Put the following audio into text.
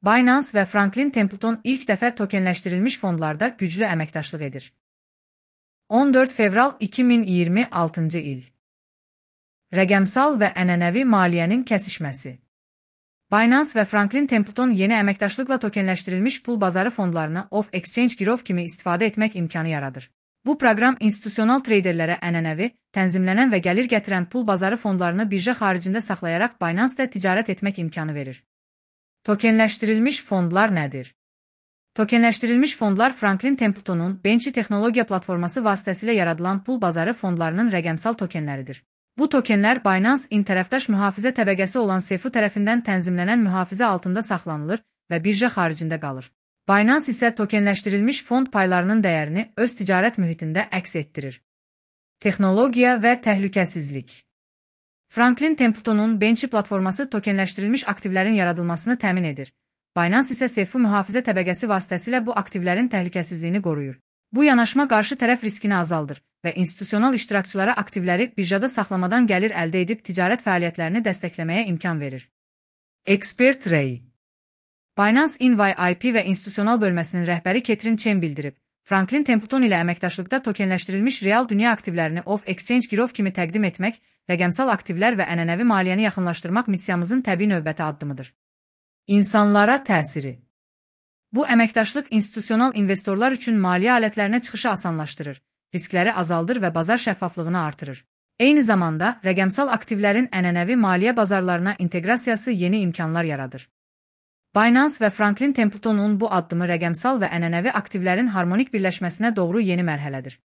Binance və Franklin Templeton ilk dəfə tokenləşdirilmiş fondlarda güclü əməkdaşlıq edir. 14 fevral 2026-cı il. Rəqəmsal və ənənəvi maliyyənin kəsişməsi. Binance və Franklin Templeton yeni əməkdaşlıqla tokenləşdirilmiş pul bazarı fondlarını off-exchange girov kimi istifadə etmək imkanı yaradır. Bu proqram institusional treyderlərə ənənəvi, tənzimlənən və gəlir gətirən pul bazarı fondlarını birja xaricində saxlayaraq Binance-da ticarət etmək imkanı verir. Tokenləşdirilmiş fondlar nədir? Tokenləşdirilmiş fondlar Franklin Templetonun Benchy texnologiya platforması vasitəsilə yaradılan pul bazarı fondlarının rəqəmsal tokenləridir. Bu tokenlər Binance tərəfdaş mühafizə təbəqəsi olan SEFU tərəfindən tənzimlənən mühafizə altında saxlanılır və birja xaricində qalır. Binance isə tokenləşdirilmiş fond paylarının dəyərini öz ticarət mühitində əks etdirir. Texnologiya və təhlükəsizlik. Franklin Templetonun Benchy platforması tokenləşdirilmiş aktivlərin yaradılmasını təmin edir. Binance isə SEFU mühafizə təbəqəsi vasitəsilə bu aktivlərin təhlükəsizliyini qoruyur. Bu yanaşma qarşı tərəf riskini azaldır və institusional iştirakçılara aktivləri birjada saxlamadan gəlir əldə edib ticarət fəaliyyətlərini dəstəkləməyə imkan verir. Expert Ray. Binance NYIP və institusional bölməsinin rəhbəri Catherine Chen bildirib, Franklin Templeton ilə əməkdaşlıqda tokenləşdirilmiş real dünya aktivlərini off-exchange girov kimi təqdim etmək, rəqəmsal aktivlər və ənənəvi maliyyəni yaxınlaşdırmaq missiyamızın təbii növbəti addımıdır. İnsanlara təsiri. Bu əməkdaşlıq institusional investorlar üçün maliyyə alətlərinə çıxışı asanlaşdırır, riskləri azaldır və bazar şəffaflığını artırır. Eyni zamanda, rəqəmsal aktivlərin ənənəvi maliyyə bazarlarına inteqrasiyası yeni imkanlar yaradır. Binance və Franklin Templetonun bu addımı rəqəmsal və ənənəvi aktivlərin harmonik birləşməsinə doğru yeni mərhələdir.